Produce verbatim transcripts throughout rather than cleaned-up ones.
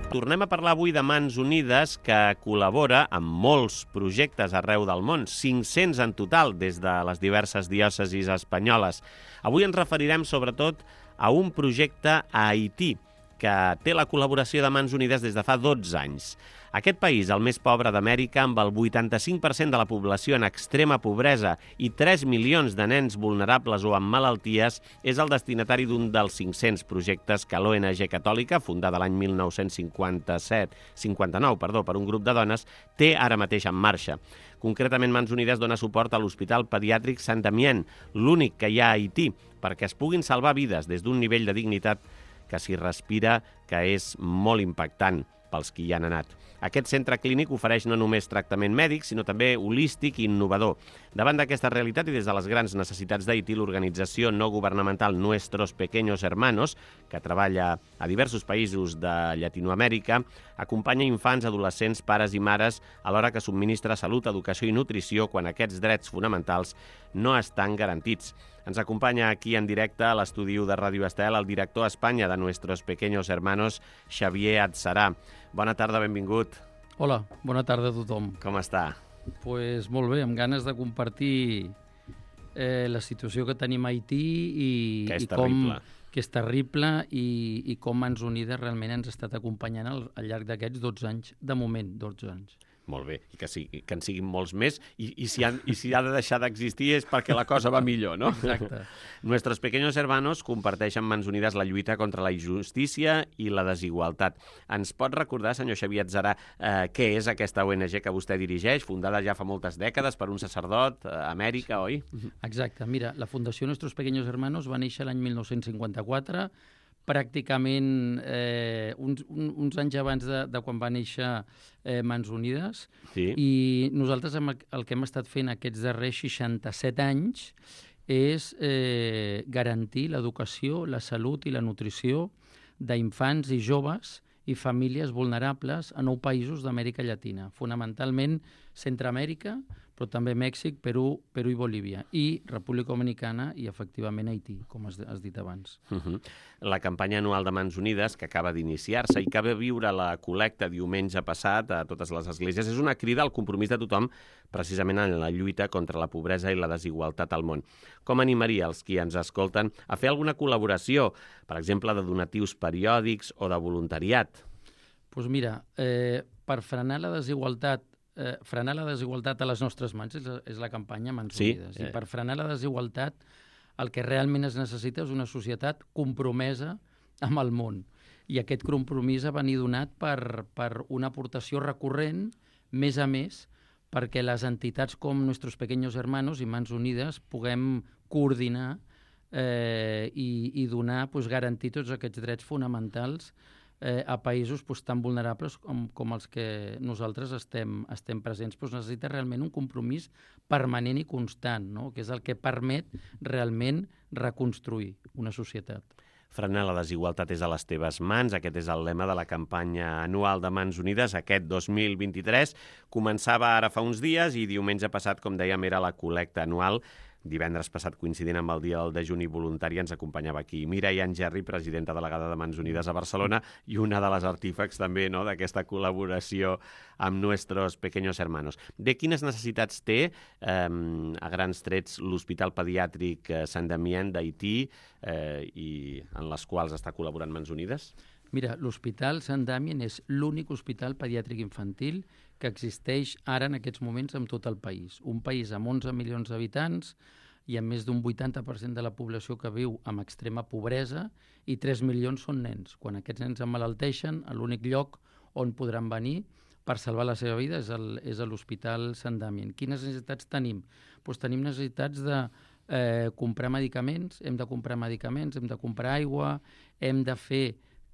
Tornem a parlar avui de Mans Unides, que col·labora amb molts projectes arreu del món, cinc-cents en total, des de les diverses diòcesis espanyoles. Avui ens referirem sobretot a un projecte a Haití, que té la col·laboració de Mans Unides des de fa dotze anys. Aquest país, el més pobre d'Amèrica, amb el vuitanta-cinc per cent de la població en extrema pobresa i tres milions de nens vulnerables o amb malalties, és el destinatari d'un dels cinc-cents projectes que l'O N G Catòlica, fundada l'any mil nou-cents cinquanta-set, cinquanta-nou, perdó, per un grup de dones, té ara mateix en marxa. Concretament, Mans Unides dona suport a l'Hospital Pediàtric Saint-Damien, l'únic que hi ha a Haití, perquè es puguin salvar vides des d'un nivell de dignitat que s'hi respira, que és molt impactant pels qui hi han anat. Aquest centre clínic ofereix no només tractament mèdic, sinó també holístic i innovador. Davant d'aquesta realitat i des de les grans necessitats d'Haití, l'organització no governamental Nuestros Pequeños Hermanos, que treballa a diversos països de Llatinoamèrica, acompanya infants, adolescents, pares i mares, alhora que subministra salut, educació i nutrició quan aquests drets fonamentals no estan garantits. Ens acompanya aquí en directe a l'estudi de Ràdio Estel el director a Espanya de Nuestros Pequeños Hermanos, Xavier Adserà. Bona tarda, benvingut. Hola, bona tarda a tothom. Com està? Pues molt bé, amb ganes de compartir eh, la situació que tenim a Haití i, que és i com, terrible. que és terrible i, i com Mans Unides realment ens ha estat acompanyant al, al llarg d'aquests dotze anys, de moment, dotze anys. Molt bé, i que, sigui, que en siguin molts més, i, i, si han, i si ha de deixar d'existir és perquè la cosa va millor, no? Exacte. Nuestros Pequeños Hermanos comparteixen Mans Unides la lluita contra la injustícia i la desigualtat. Ens pot recordar, senyor Xavier Adserà, eh, què és aquesta O N G que vostè dirigeix, fundada ja fa moltes dècades per un sacerdot a Amèrica, oi? Exacte. Mira, la Fundació Nuestros Pequeños Hermanos va néixer l'any mil nou-cents cinquanta-quatre, pràcticament eh, uns, un, uns anys abans de, de quan va néixer eh, Mans Unides. Sí. I nosaltres el, el que hem estat fent aquests darrers seixanta-set anys és eh, garantir l'educació, la salut i la nutrició d'infants i joves i famílies vulnerables a nou països d'Amèrica Llatina, fonamentalment Centreamèrica, però també Mèxic, Perú, Perú i Bolívia, i República Dominicana i, efectivament, Haití, com has, has dit abans. Uh-huh. La campanya anual de Mans Unides, que acaba d'iniciar-se i que va viure la col·lecta diumenge passat a totes les esglésies, és una crida al compromís de tothom precisament en la lluita contra la pobresa i la desigualtat al món. Com animaria els qui ens escolten a fer alguna col·laboració, per exemple, de donatius periòdics o de voluntariat? Doncs pues mira, eh, per frenar la desigualtat Eh, frenar la desigualtat a les nostres mans és la, és la campanya Mans sí, Unides. eh. I per frenar la desigualtat el que realment es necessita és una societat compromesa amb el món. I aquest compromís ha venit donat per, per una aportació recurrent, més a més, perquè les entitats com Nuestros Pequeños Hermanos i Mans Unides puguem coordinar eh, i, i donar, pues, garantir tots aquests drets fonamentals Eh, a països pues, tan vulnerables com, com els que nosaltres estem, estem presents. Pues, necessita realment un compromís permanent i constant, no? Que és el que permet realment reconstruir una societat. Frenar la desigualtat és a les teves mans. Aquest és el lema de la campanya anual de Mans Unides, aquest dos mil vint-i-tres. Començava ara fa uns dies i diumenge passat, com dèiem, era la col·lecta anual. Divendres passat, coincidint amb el dia del dejuni voluntari, ens acompanyava aquí Mireia Angerri, presidenta delegada de Mans Unides a Barcelona, i una de les artífecs també, no?, d'aquesta col·laboració amb Nuestros Pequeños Hermanos. De quines necessitats té, eh, a grans trets, l'Hospital Pediàtric Saint-Damien d'Haití eh, i en les quals està col·laborant Mans Unides? Mira, l'Hospital Saint-Damien és l'únic hospital pediàtric infantil que existeix ara en aquests moments en tot el país. Un país amb onze milions d'habitants i amb més d'un vuitanta per cent de la població que viu amb extrema pobresa i tres milions són nens. Quan aquests nens emmalalteixen, l'únic lloc on podran venir per salvar la seva vida és, el, és a l'Hospital Saint-Damien. Quines necessitats tenim? Pues tenim necessitats de eh, comprar medicaments, hem de comprar medicaments, hem de comprar aigua, hem de fer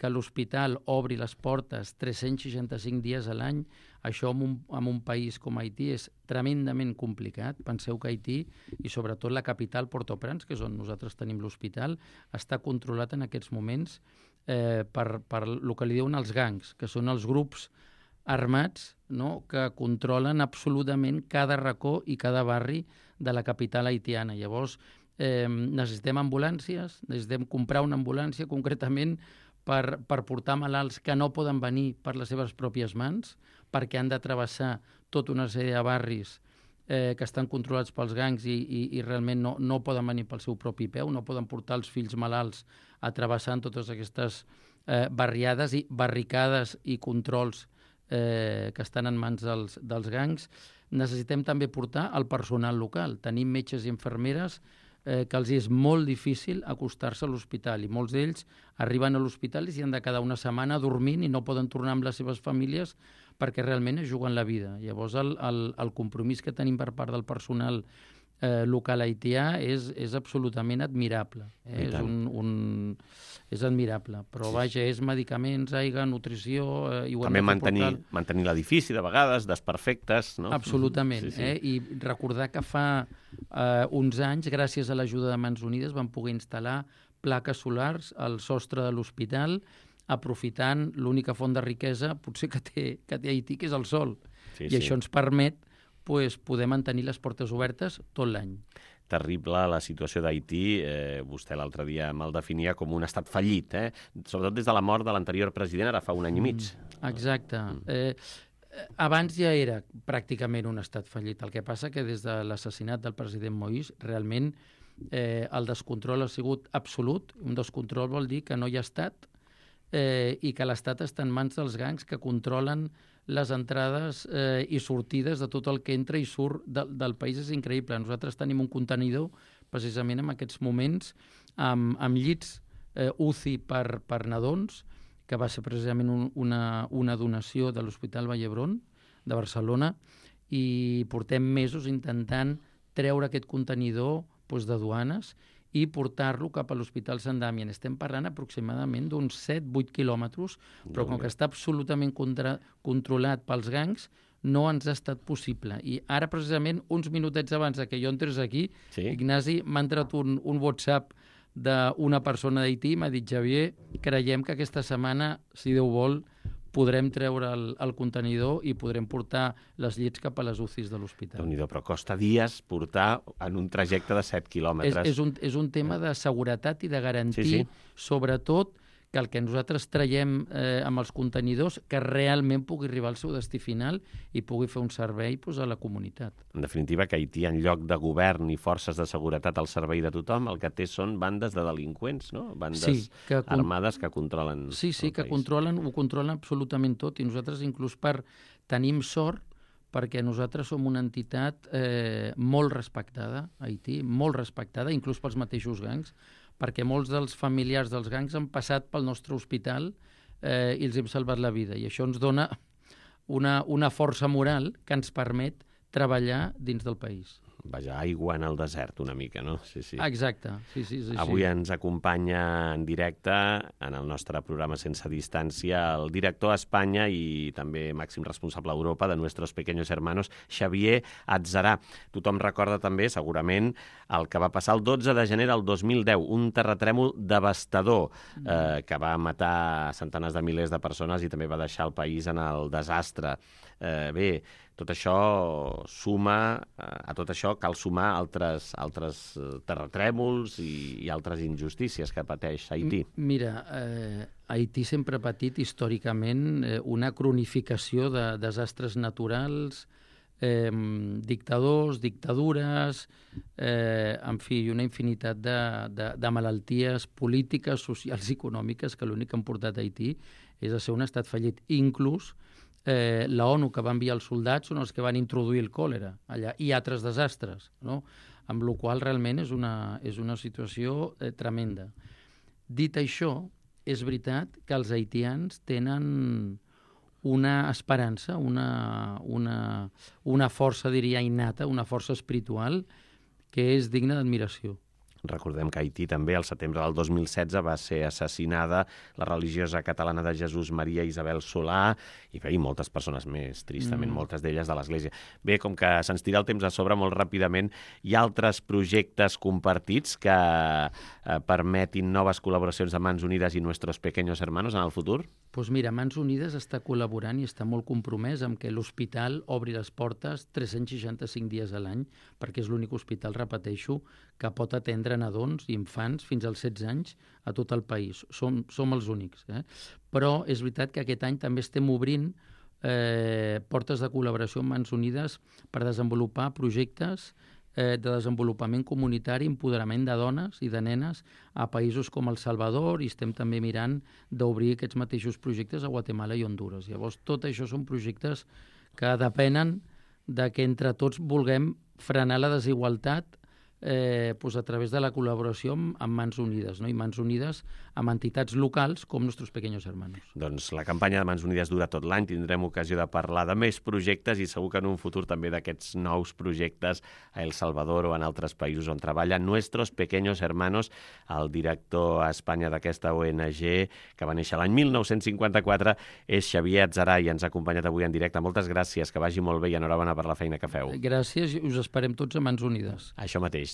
que l'hospital obri les portes tres-cents seixanta-cinc dies a l'any. Això en un, en un país com Haití és tremendament complicat. Penseu que Haití, i sobretot la capital, Port-au-Prince, que és on nosaltres tenim l'hospital, està controlat en aquests moments eh, per, per el que li diuen els gangs, que són els grups armats, no?, que controlen absolutament cada racó i cada barri de la capital haitiana. Llavors, eh, necessitem ambulàncies, necessitem comprar una ambulància concretament per, per portar malalts que no poden venir per les seves pròpies mans, perquè han de travessar tota una sèrie de barris eh, que estan controlats pels gangs i, i, i realment no, no poden venir pel seu propi peu, no poden portar els fills malalts a travessar totes aquestes eh, barriades i barricades i controls eh, que estan en mans dels, dels gangs. Necessitem també portar el personal local. Tenim metges i infermeres eh, que els és molt difícil acostar-se a l'hospital i molts d'ells arriben a l'hospital i s'hi han de quedar una setmana dormint i no poden tornar amb les seves famílies perquè realment es juguen la vida. Llavors el, el, el compromís que tenim per part del personal eh, local haitià és, és absolutament admirable. Eh? És, un, un, és admirable. Però sí, vaja, és medicaments, aigua, nutrició... Eh, i ho també mantenir, mantenir l'edifici de vegades, desperfectes, no? Absolutament. Sí, sí. Eh? I recordar que fa eh, uns anys, gràcies a l'ajuda de Mans Unides, vam poder instal·lar plaques solars al sostre de l'hospital, aprofitant l'única font de riquesa potser que té, que té Haití, que és el sol. Sí, I sí. això ens permet pues, poder mantenir les portes obertes tot l'any. Terrible la situació d'Haití. Eh, vostè l'altre dia me'l definia com un estat fallit, eh? Sobretot des de la mort de l'anterior president, ara fa un any i mig. Mm, exacte. Mm. Eh, abans ja era pràcticament un estat fallit. El que passa que des de l'assassinat del president Moïse, realment eh, el descontrol ha sigut absolut. Un descontrol vol dir que no hi ha estat, Eh, i que l'Estat està en mans dels gangs que controlen les entrades eh, i sortides de tot el que entra i surt de, del país. És increïble. Nosaltres tenim un contenidor precisament en aquests moments amb, amb llits eh, U C I per, per nadons, que va ser precisament un, una, una donació de l'Hospital Vall d'Hebron de Barcelona, i portem mesos intentant treure aquest contenidor doncs, de duanes i portar-lo cap a l'Hospital Sant Damian. Estem parlant aproximadament d'uns set vuit quilòmetres, però com que està absolutament contra, controlat pels gangs, no ens ha estat possible. I ara, precisament, uns minutets abans que jo entrés aquí, sí? Ignasi, m'ha entrat un, un WhatsApp d'una persona d'Haití, m'ha dit, Xavier, creiem que aquesta setmana, si Déu vol, podrem treure el, el contenidor i podrem portar les llits cap a les U C Is de l'hospital. Déu-n'hi-do, però costa dies portar en un trajecte de set quilòmetres. És, és, un, és un tema de seguretat i de garantir, sí, sí. sobretot, que el que nosaltres traiem eh, amb els contenidors que realment pugui arribar al seu destí final i pugui fer un servei doncs, a la comunitat. En definitiva, que Haití, en lloc de govern i forces de seguretat al servei de tothom, el que té són bandes de delinqüents, no? Bandes sí, que con... armades que controlen Sí, sí, que país. controlen, ho controlen absolutament tot, i nosaltres inclús per tenim sort perquè nosaltres som una entitat eh, molt respectada a Haití, molt respectada, inclús pels mateixos gangs, perquè molts dels familiars dels gangs han passat pel nostre hospital eh, i els hem salvat la vida. I això ens dona una, una força moral que ens permet treballar dins del país. Vaja, aigua en el desert una mica, no? Sí, sí. Exacte. Sí, sí, sí, Avui sí. ens acompanya en directe en el nostre programa Sense Distància el director a Espanya i també màxim responsable a Europa de Nuestros Pequeños Hermanos, Xavier Atzarà. Tothom recorda també, segurament, el que va passar el dotze de gener del dos mil deu, un terratrèmol devastador eh, que va matar centenars de milers de persones i també va deixar el país en el desastre. Eh, bé, tot això suma, a tot això cal sumar altres, altres terratrèmols i, i altres injustícies que pateix Haití. Mira, eh, Haití sempre ha patit històricament eh, una cronificació de desastres naturals, eh, dictadors, dictadures, eh, en fi, una infinitat de, de, de malalties polítiques, socials i econòmiques que l'únic que han portat a Haití és a ser un estat fallit. Inclús Eh, la ONU, que va enviar els soldats, són els que van introduir el còlera allà, i altres desastres, no? Amb la qual realment és una, és una situació eh, tremenda. Dit això, és veritat que els haitians tenen una esperança, una, una, una força, diria, innata, una força espiritual que és digna d'admiració. Recordem que a Haití també, al setembre del dos mil setze, va ser assassinada la religiosa catalana de Jesús Maria Isabel Solà i, bé, i moltes persones més, tristament, mm. moltes d'elles de l'Església. Bé, com que se'ns tira el temps a sobre molt ràpidament, hi ha altres projectes compartits que eh, permetin noves col·laboracions de Mans Unides i Nuestros Pequeños Hermanos en el futur? Doncs mira, Mans Unides està col·laborant i està molt compromès amb que l'hospital obri les portes tres-cents seixanta-cinc dies a l'any, perquè és l'únic hospital, repeteixo, que pot atendre nadons i infants fins als setze anys a tot el país. Som, som els únics. Eh? Però és veritat que aquest any també estem obrint eh, portes de col·laboració amb Mans Unides per desenvolupar projectes eh, de desenvolupament comunitari, empoderament de dones i de nenes a països com El Salvador, i estem també mirant d'obrir aquests mateixos projectes a Guatemala i Hondures. Llavors, tot això són projectes que depenen de que entre tots vulguem frenar la desigualtat eh, doncs a través de la col·laboració amb, amb Mans Unides, no? I Mans Unides amb entitats locals com Nuestros Pequeños Hermanos. Doncs la campanya de Mans Unides dura tot l'any, tindrem ocasió de parlar de més projectes i segur que en un futur també d'aquests nous projectes a El Salvador o en altres països on treballa Nuestros Pequeños Hermanos, el director a Espanya d'aquesta O N G que va néixer l'any mil nou-cents cinquanta-quatre, és Xavier Adzaray i ens ha acompanyat avui en directe. Moltes gràcies, que vagi molt bé i enhorabona per la feina que feu. Gràcies i us esperem tots a Mans Unides. Això mateix.